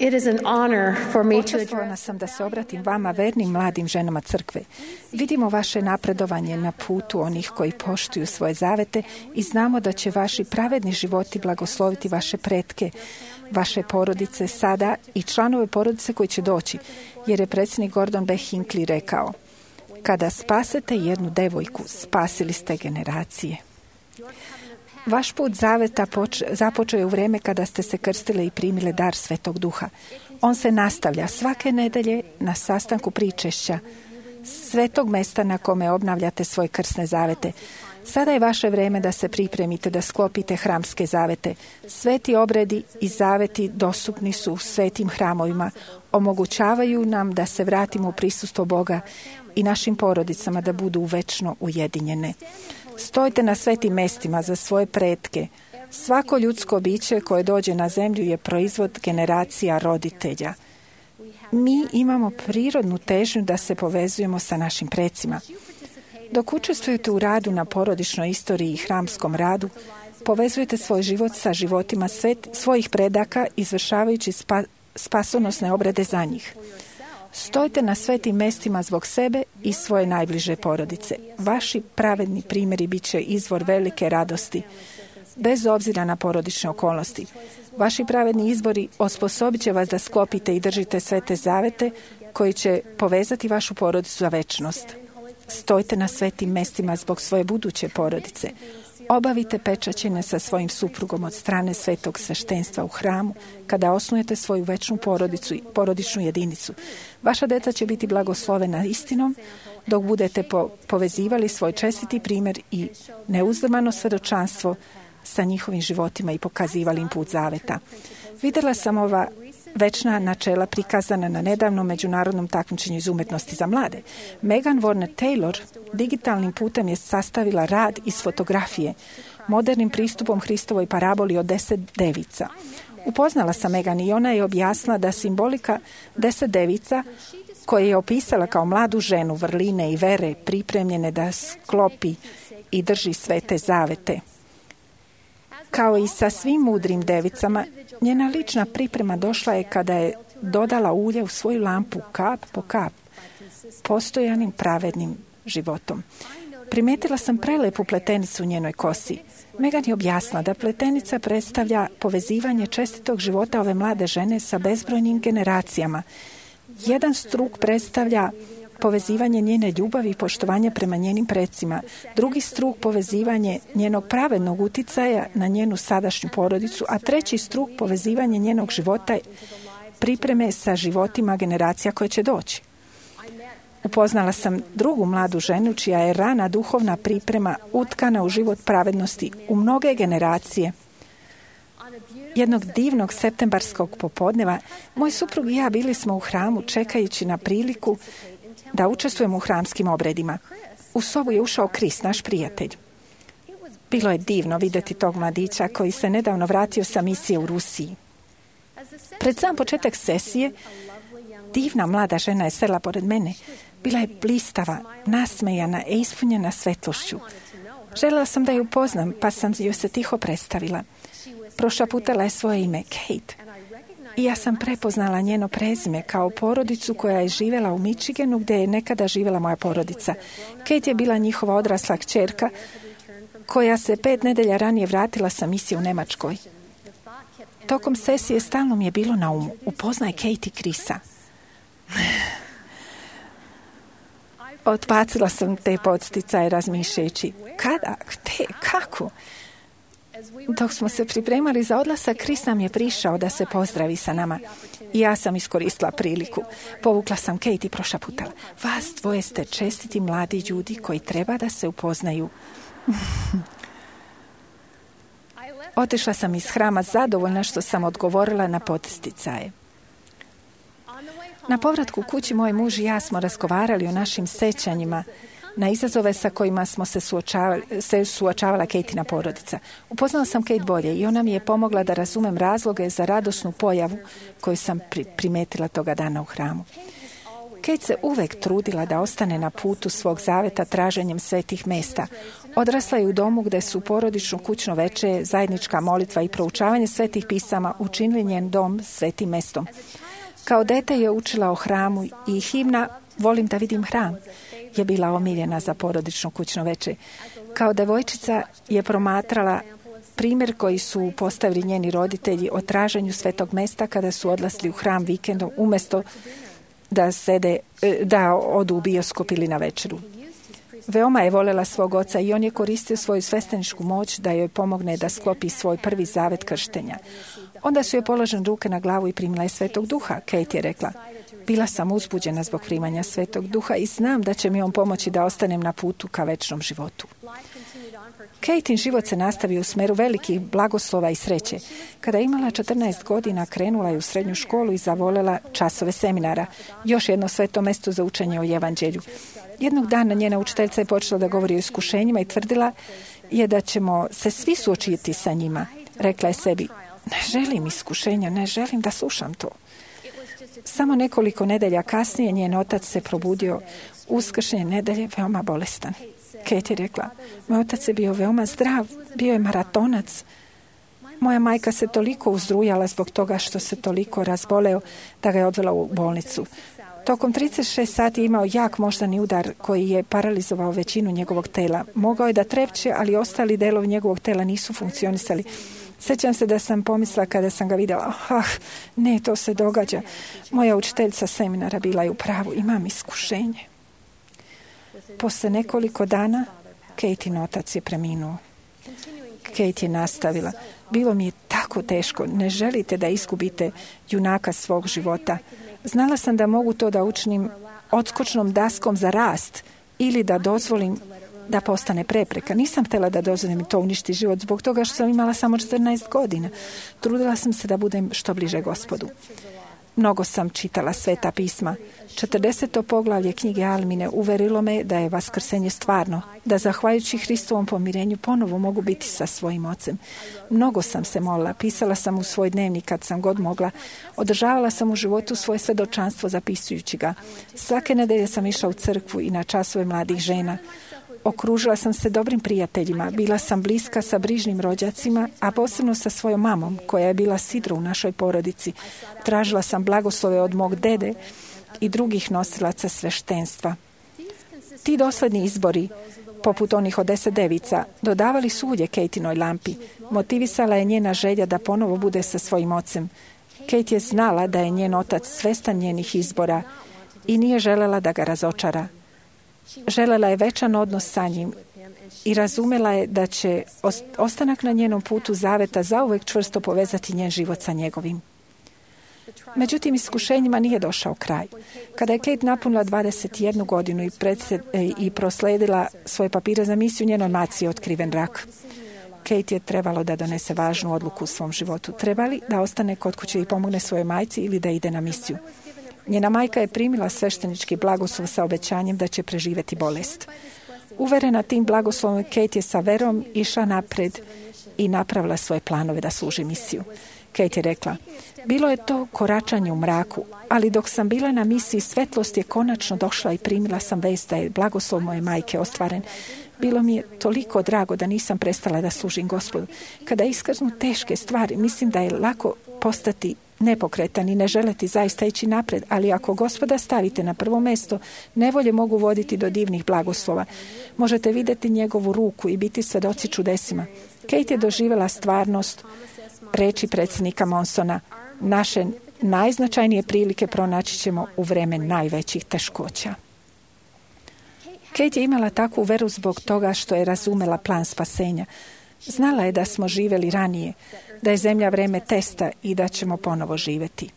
It is an honor for me to Počastvovana sam da se obratim vama, vernim mladim ženama crkve. Vidimo vaše napredovanje na putu onih koji poštuju svoje zavete i znamo da će vaši pravedni životi blagosloviti vaše pretke, vaše porodice sada i članove porodice koji će doći, jer je predsjednik Gordon B. Hinckley rekao: kada spasete jednu devojku, spasili ste generacije. Vaš put zaveta započeo je u vrijeme kada ste se krstile i primile dar Svetog Duha. On se nastavlja svake nedelje na sastanku pričešća, svetog mesta na kome obnavljate svoje krsne zavete. Sada je vaše vrijeme da se pripremite, da sklopite hramske zavete. Sveti obredi i zaveti dostupni su u svetim hramovima. Omogućavaju nam da se vratimo u prisustvo Boga i našim porodicama da budu večno ujedinjene. Stojite na svetim mestima za svoje pretke. Svako ljudsko biće koje dođe na zemlju je proizvod generacija roditelja. Mi imamo prirodnu težnju da se povezujemo sa našim precima. Dok učestvujete u radu na porodičnoj istoriji i hramskom radu, povezujete svoj život sa životima svojih predaka, izvršavajući spasonosne obrede za njih. Stojite na svetim mestima zbog sebe i svoje najbliže porodice. Vaši pravedni primjeri bit će izvor velike radosti, bez obzira na porodične okolnosti. Vaši pravedni izbori osposobit će vas da sklopite i držite svete zavete koji će povezati vašu porodicu za večnost. Stojite na svetim mestima zbog svoje buduće porodice. Obavite pečaćenje sa svojim suprugom od strane svetog sveštenstva u hramu kada osnujete svoju večnu porodicu i porodičnu jedinicu. Vaša deca će biti blagoslovena istinom dok budete povezivali svoj čestiti primjer i neuzdrmano svjedočanstvo sa njihovim životima i pokazivali im put zaveta. Vidjela sam ova večna načela prikazana na nedavnom međunarodnom takmičenju iz umetnosti za mlade. Megan Warner Taylor digitalnim putem je sastavila rad iz fotografije modernim pristupom Hristovoj paraboli o 10 devica. Upoznala sam Megan i ona je objasnila da simbolika 10 devica koje je opisala kao mladu ženu vrline i vere pripremljene da sklopi i drži svete zavete. Kao i sa svim mudrim devicama, njena lična priprema došla je kada je dodala ulje u svoju lampu kap po kap, postojanim pravednim životom. Primetila sam prelepu pletenicu u njenoj kosi. Megan je objasnila da pletenica predstavlja povezivanje čestitog života ove mlade žene sa bezbrojnim generacijama. Jedan struk predstavlja povezivanje njene ljubavi i poštovanja prema njenim precima. Drugi struk povezivanje njenog pravednog uticaja na njenu sadašnju porodicu, a treći struk povezivanje njenog života pripreme sa životima generacija koje će doći. Upoznala sam drugu mladu ženu čija je rana duhovna priprema utkana u život pravednosti u mnoge generacije. Jednog divnog septembarskog popodneva moj suprug i ja bili smo u hramu čekajući na priliku da učestvujemo u hramskim obredima. U sobu je ušao Chris, naš prijatelj. Bilo je divno vidjeti tog mladića koji se nedavno vratio sa misije u Rusiji. Pred sam početak sesije, divna mlada žena je sela pored mene. Bila je blistava, nasmejana i ispunjena svetlošću. Željela sam da ju upoznam, pa sam joj se tiho predstavila. Prošaputala je svoje ime, Kate. I ja sam prepoznala njeno prezime kao porodicu koja je živjela u Michiganu gdje je nekada živjela moja porodica. Kate je bila njihova odrasla kćerka koja se 5 nedelja ranije vratila sa misije u Njemačkoj. Tokom sesije stalno mi je bilo na umu: upoznaj Kate i Chrisa. Otbacila sam te podsticaje razmišljajući: kada, gdje, kako? Dok smo se pripremali za odlazak, Chris nam je prišao da se pozdravi sa nama. I ja sam iskoristila priliku. Povukla sam Kate i prošaputala: vas dvoje ste čestiti mladi ljudi koji treba da se upoznaju. Otišla sam iz hrama zadovoljna što sam odgovorila na podsticaje. Na povratku kući moj muž i ja smo razgovarali o našim sećanjima na izazove sa kojima smo se suočavala Katina porodica. Upoznala sam Kate bolje i ona mi je pomogla da razumem razloge za radosnu pojavu koju sam primetila toga dana u hramu. Kate se uvek trudila da ostane na putu svog zaveta traženjem svetih mesta. Odrasla je u domu gdje su porodično kućno veče, zajednička molitva i proučavanje svetih pisama učinili njen dom svetim mestom. Kao dete je učila o hramu i himna "Volim da vidim hram" je bila omiljena za porodično kućno veče. Kao devojčica je promatrala primjer koji su postavili njeni roditelji o traženju svetog mesta kada su odlasli u hram vikendom umjesto da odu u bioskop ili na večeru. Veoma je voljela svog oca i on je koristio svoju svešteničku moć da joj pomogne da sklopi svoj prvi zavet krštenja. Onda su joj položene ruke na glavu i primila je Svetog Duha. Kate je rekla: "Bila sam uzbuđena zbog primanja Svetog Duha i znam da će mi on pomoći da ostanem na putu ka večnom životu." Katein život se nastavio u smeru velikih blagoslova i sreće. Kada je imala 14 godina, krenula je u srednju školu i zavoljela časove seminara, još jedno sveto mesto za učenje o evanđelju. Jednog dana njena učiteljica je počela da govori o iskušenjima i tvrdila je da ćemo se svi suočiti sa njima. Rekla je sebi: "Ne želim iskušenja, ne želim da slušam to." Samo nekoliko nedelja kasnije njen otac se probudio uskršnje nedelje veoma bolestan. Kate je rekla: "Moj otac je bio veoma zdrav, bio je maratonac. Moja majka se toliko uzdrujala zbog toga što se toliko razboleo da ga je odvela u bolnicu. Tokom 36 sati je imao jak moždani udar koji je paralizovao većinu njegovog tela. Mogao je da trepće, ali ostali delovi njegovog tela nisu funkcionisali. Sjećam se da sam pomislila kada sam ga vidjela: ne, to se događa. Moja učiteljica seminara bila je u pravu, imam iskušenje." Posle nekoliko dana Katein otac je preminuo. Kate je nastavila: "Bilo mi je tako teško, ne želite da izgubite junaka svog života. Znala sam da mogu to da učinim odskočnom daskom za rast ili da dozvolim da postane prepreka. Nisam htjela da dozvolim to uništi život zbog toga što sam imala samo 14 godina. Trudila sam se da budem što bliže Gospodu. Mnogo sam čitala sveta pisma. 40. poglavlje knjige Almine uverilo me da je vaskrsenje stvarno, da zahvaljujući Hristovom pomirenju ponovo mogu biti sa svojim ocem. Mnogo sam se molila, pisala sam u svoj dnevnik kad sam god mogla, održavala sam u životu svoje svedočanstvo zapisujući ga. Svake nedelje sam išla u crkvu i na časove mladih žena. Okružila sam se dobrim prijateljima, bila sam bliska sa brižnim rođacima, a posebno sa svojom mamom, koja je bila sidro u našoj porodici. Tražila sam blagoslove od mog dede i drugih nosilaca sveštenstva. Ti dosledni izbori, poput onih od 10 devica, dodavali su ulje Kateinoj lampi. Motivisala je njena želja da ponovo bude sa svojim ocem. Kate je znala da je njen otac svestan njenih izbora i nije želela da ga razočara. Želela je večan odnos sa njim i razumela je da će ostanak na njenom putu zaveta zauvek čvrsto povezati njen život sa njegovim. Međutim, iskušenjima nije došao kraj. Kada je Kate napunila 21 godinu i prosledila svoje papire za misiju, njenoj maci je otkriven rak. Kate je trebalo da donese važnu odluku u svom životu. Treba li da ostane kod kuće i pomogne svojoj majci ili da ide na misiju? Njena majka je primila sveštenički blagoslov sa obećanjem da će preživjeti bolest. Uverena tim blagoslovom, Kate je sa verom išla napred i napravila svoje planove da služi misiju. Kate je rekla: "Bilo je to koračanje u mraku, ali dok sam bila na misiji, svetlost je konačno došla i primila sam vest da je blagoslov moje majke ostvaren. Bilo mi je toliko drago da nisam prestala da služim Gospodu. Kada iskaznu teške stvari, mislim da je lako postati nepokretan i ne želeti zaista ići napred, ali ako Gospoda stavite na prvo mesto, nevolje mogu voditi do divnih blagoslova. Možete vidjeti njegovu ruku i biti svedoci čudesima." Kate je doživjela stvarnost reči predsjednika Monsona: "Naše najznačajnije prilike pronaći ćemo u vreme najvećih teškoća." Kate je imala takvu veru zbog toga što je razumela plan spasenja. Znala je da smo živjeli ranije, da je zemlja vreme testa i da ćemo ponovo živjeti.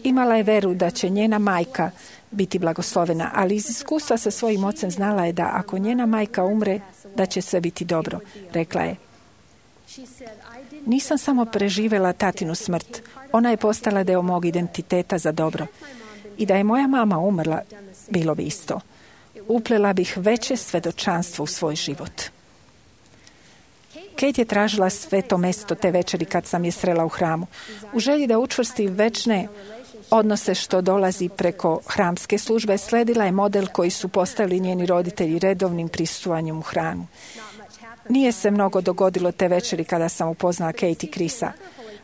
Imala je veru da će njena majka biti blagoslovena, ali iz iskustva sa svojim ocem znala je da ako njena majka umre, da će sve biti dobro. Rekla je: "Nisam samo preživjela tatinu smrt, ona je postala deo mog identiteta za dobro. I da je moja mama umrla, bilo bi isto. Uplela bih veće svedočanstvo u svoj život." Kate je tražila sveto mesto te večeri kad sam je srela u hramu. U želji da učvrsti večne odnose što dolazi preko hramske službe, sledila je model koji su postavili njeni roditelji redovnim prisustovanjem u hramu. Nije se mnogo dogodilo te večeri kada sam upoznala Kate i Chrisa,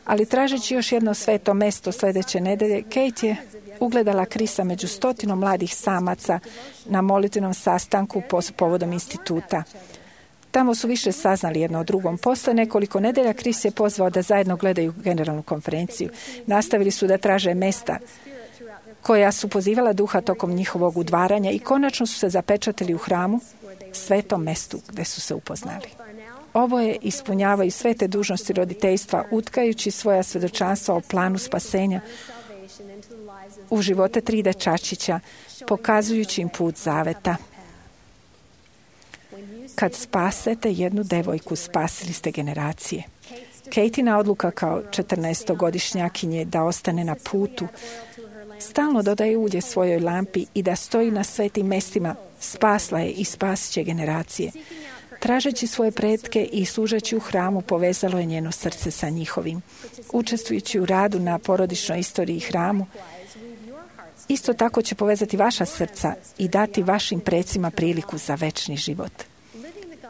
ali tražeći još jedno sveto mesto sljedeće nedelje, Kate je ugledala Chrisa među 100 mladih samaca na molitvenom sastanku povodom instituta. Tamo su više saznali jedno o drugom. Posle nekoliko nedelja Chris je pozvao da zajedno gledaju generalnu konferenciju. Nastavili su da traže mesta koja su pozivala duha tokom njihovog udvaranja i konačno su se zapečatili u hramu, svetom mestu gde su se upoznali. Oboje ispunjavaju sve te dužnosti roditeljstva, utkajući svoja svedočanstva o planu spasenja u živote 3 dečačića, pokazujući im put zaveta. Kad spasete jednu devojku, spasili ste generacije. Katina odluka kao 14-godišnjakinje da ostane na putu, stalno dodaje ulje svojoj lampi i da stoji na svetim mestima, spasla je i spasit će generacije. Tražeći svoje pretke i služeći u hramu, povezalo je njeno srce sa njihovim. Učestvujući u radu na porodičnoj istoriji hramu, isto tako će povezati vaša srca i dati vašim precima priliku za večni život.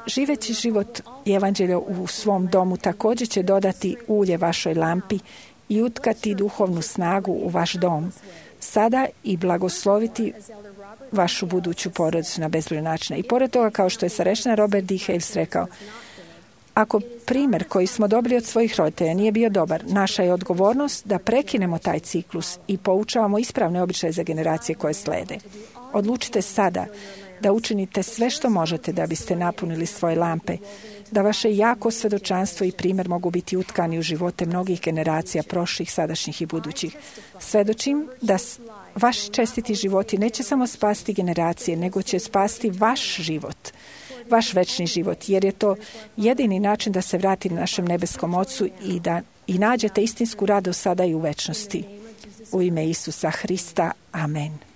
Živeći život i evanđelja u svom domu također će dodati ulje vašoj lampi i utkati duhovnu snagu u vaš dom, sada i blagosloviti vašu buduću porodicu na bezbroj načina. I pored toga, kao što je starešina Robert D. Hales rekao, ako primjer koji smo dobili od svojih roditelja nije bio dobar, naša je odgovornost da prekinemo taj ciklus i poučavamo ispravne običaje za generacije koje slede. Odlučite sada da učinite sve što možete da biste napunili svoje lampe, da vaše jako svedočanstvo i primjer mogu biti utkani u živote mnogih generacija, prošlih, sadašnjih i budućih. Svedočim da vaši čestiti životi neće samo spasiti generacije, nego će spasiti vaš život, vaš večni život, jer je to jedini način da se vrati našem nebeskom Ocu i da nađete istinsku radost sada i u večnosti. U ime Isusa Hrista. Amen.